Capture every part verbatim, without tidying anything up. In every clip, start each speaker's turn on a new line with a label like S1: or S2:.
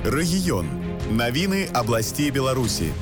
S1: Рэгіён. Навіны абласцей Беларусі.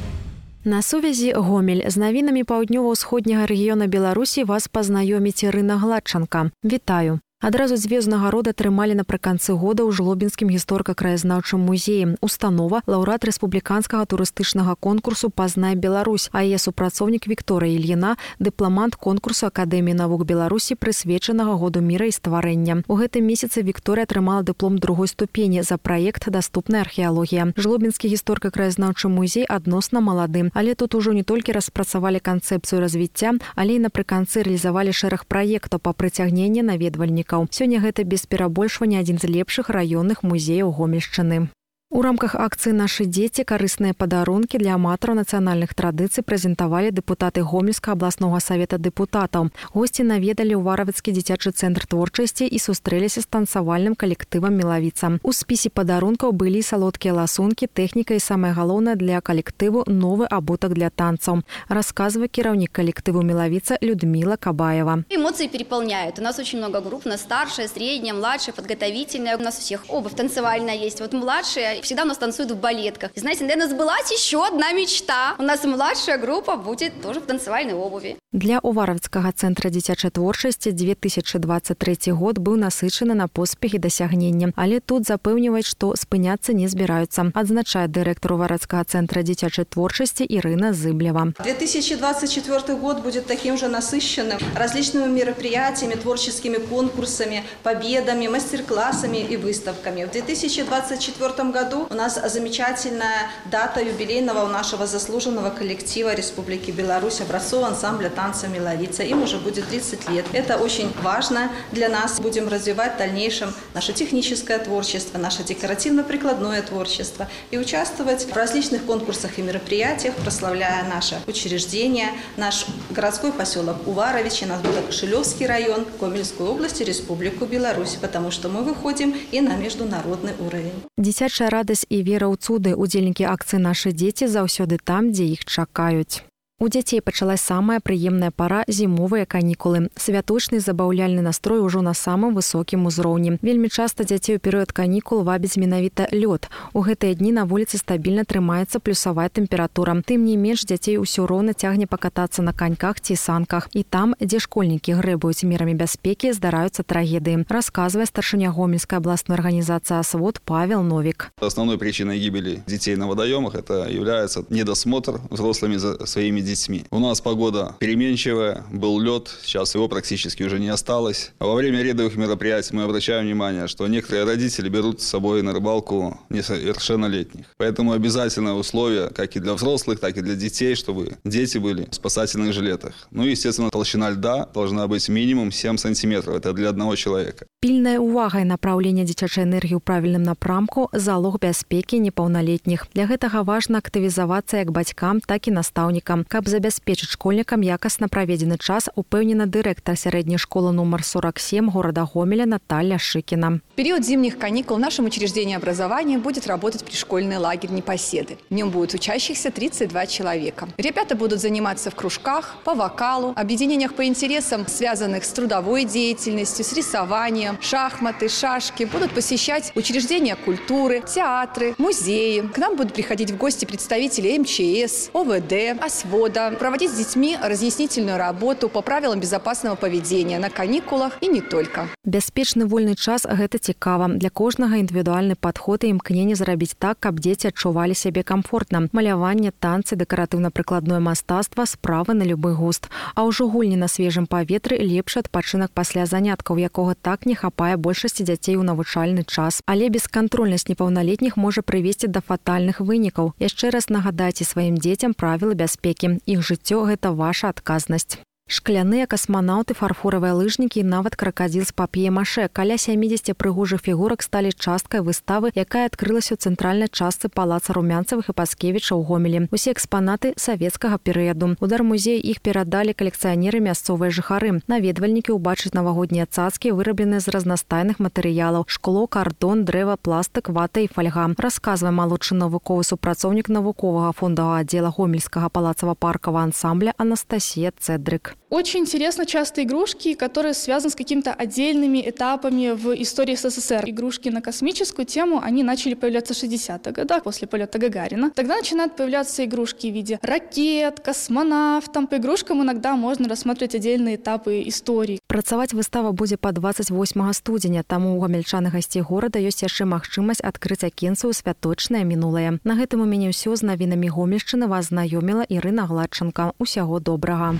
S2: На сувязі Гомель. З навінамі паўднёва-ўсходняга рэгіёна Беларусі вас пазнаёміць Ірына Гладчанка. Вітаю. Адразу дзве ўзнагароды атрымалі напрыканцы года ў Жлобінскім гісторыка-краязнаўчым музеі. Установа лаўрэат рэспубліканскага турыстычнага конкурсу «Пазнай Беларусь», а яе супрацоўнік Вікторыя Ільіна – дыпламант конкурсу Акадэміі навук Беларусі, прысвечанага году міра і стварэння. У гэтым месяцы Вікторыя атрымала дыплом другой ступені за праект «Даступная археалогія». Жлобінскі гісторыка-краязнаўчы музей адносна малады, але тут ужо не толькі распрацавалі канцэпцыю развіцця, але і напрыканцы рэалізавалі шэраг праектаў па прыцягненні наведвальнікаў. Сёння гэта без перабольшвання адзін з лепшых раённых музеяў Гомельшчыны. У рамках акцыі «Нашы дзеці» карысныя падарункі для аматараў нацыянальных традыцый прэзентавалі дэпутаты Гомельскага абласнога савета дэпутатаў. Госці наведалі ўваравіцкі дзіцячы цэнтр творчасці і сустрэліся з танцавальным калектывам «Мелавіца». У спісе падарункаў былі салодкія ласункі, тэхніка і, самае галоўнае, для калектыву новы абутак для танцаў. Расказвае кіраўнік калектыву «Мелавіца» Людмила Кабаева.
S3: Эмоции переполняют. У нас очень много групп, у нас старшая, средняя, младшая, подготовительная. У нас у всех обувь танцевальная есть. Вот младшая всегда у нас танцуют в балетках. И знаете, наверное, сбылась еще одна мечта. У нас младшая группа будет тоже в танцевальной обуви.
S2: Для Уваровскага цэнтра дзіцячай творчасці две тысячи двадцать третий год быў насычаны на поспех і дасягненні. Але тут запэўніваюць, што спыняцца не збіраюцца. Адзначае дырэктар Уваровскага цэнтра дзіцячай творчасці Ирина Зыблева.
S4: две тысячи двадцать четвёртый год будет таким же насыщенным различными мероприятиями, творческими конкурсами, победами, мастер-классами и выставками. В две тысячи двадцать четвёртом году у нас замечательная дата юбилейного у нашего заслуженного коллектива Республики Беларусь, образцового ансамбля танца «Мелавица». Им уже будет тридцать лет. Это очень важно для нас. Будем развивать в дальнейшем наше техническое творчество, наше декоративно-прикладное творчество и участвовать в различных конкурсах и мероприятиях, прославляя наше учреждение, наш городской поселок Уваровичи, наш Кошелевский район, Гомельскую область и Республику Беларусь, потому что мы выходим и на международный уровень.
S2: Дзіцячая радасць і вера ў цуды. Удзельнікі акцыі «Нашы дзеці» заўсёды там, дзе іх чакаюць. У дзяцей пачалась самая прыемная пара – зімовыя канікулы. Святочны забаўляльны настрой ужо на самым высокім узроўні. Вельмі часта дзяцей у перыяд канікул вабіць менавіта лёд. У гэтыя дні на вуліцы стабільна трымаецца плюсавая тэмпература. Тым не менш, дзяцей усё роўна цягне пакатацца на каньках ці санках. І там, дзе школьнікі грэбуюць мерамі бяспекі, здараюцца трагедыі. Расказвае старшыня Гомельскай абласной арганізацыі «Асвод» Павел Новик.
S5: Основной причиной гибели детей на водоемах это является недосмотр взрослыми за своими детьми. Детьми. У нас погода переменчивая, был лед, сейчас его практически уже не осталось. А во время рядовых мероприятий мы обращаем внимание, что некоторые родители берут с собой на рыбалку несовершеннолетних. Поэтому обязательное условие, как и для взрослых, так и для детей, чтобы дети были в спасательных жилетах. Ну и, естественно, толщина льда должна быть минимум семь сантиметров. Это для одного человека.
S2: Пільная ўвага і напраўленне дзіцячай энергіі ў правільным напрамку – залог бяспекі непаўналетніх. Для гэтага важна актывізавацца як бацькам, так і настаўнікам. Каб забяспечыць школьнікам якасна праведзены час, упэўнена дырэктар сярэдняй школы номер сорок семь города Гомеля Наталья Шикина.
S6: В период зимних каникул в нашем учреждении образования будет работать пришкольный лагерь «Непоседы». В нем будет учащихся тридцать два человека. Ребята будут заниматься в кружках, по вокалу, объединениях по интересам, связанных с трудовой деятельностью, с рисованием, шахматы, шашки. Будут посещать учреждения культуры, театры, музеи. К нам будут приходить в гости представители эм че эс, о вэ дэ, «Освода», проводить с детьми разъяснительную работу по правилам безопасного поведения на каникулах и не только.
S2: Бяспечны вольны час – гэта цікава. Для кожнага індывідуальны падход і імкненне зрабіць так, каб дзеці адчувалі сябе камфортна. Маляванне, танцы, дэкаратыўна-прыкладное мастацтва – справы на любы густ. А ўжо гульні на свежым паветры – лепшы адпачынак пасля заняткаў, якога так не хапае большасці дзяцей у навучальны час. Але бескантрольнасць непаўналетніх можа прывесці да фатальных вынікаў. Яшчэ раз нагадайце сваім дзецям правілы бяспекі. Іх жыццё – гэта ваша адказнасць. Шкляныя касманаўты, фарфоравыя лыжнікі і нават кракадзіл з пап'е-маше. Каля сямідзесяці прыгожых фігурак сталі часткай выставы, якая адкрылася ў цэнтральнай частцы палаца Румянцавых і Паскевіча ў Гомелі. Усе экспанаты савецкага перыяду. У дармузей іх перадалі калекцыянеры мясцовыя жыхары. Наведвальнікі ўбачаць навагоднія цацкі, вырабленыя з разнастайных матэрыялаў: шкло, кардон, дрэва, пластык, вата і фальга. Расказвае малодшы навуковы супрацоўнік навуковага фондавага аддзела Гомельскага палацава-паркавага ансамбля Анастасія Цэдрык. іграшак.
S7: Очень интересно часто игрушки, которые связаны с какими-то отдельными этапами в истории СССР. Игрушки на космическую тему, они начали появляться в шестидесятых годах, после полета Гагарина. Тогда начинают появляться игрушки в виде ракет, космонавтов. По игрушкам иногда можно рассматривать отдельные этапы истории.
S2: Працаваць выстава будзе па двадцать восьмага студзеня, таму у гамельчан і гасцей горада ёсць яшчэ магчымасць адкрыць акенцы ў святочнае мінулае. На гэтым у мяне ўсё. З навінамі Гомельшчыны вас знаёміла Ірына Гладчанка. Усяго добрага.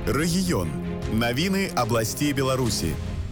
S1: Рэгіён. Навіны абласцей Беларусі.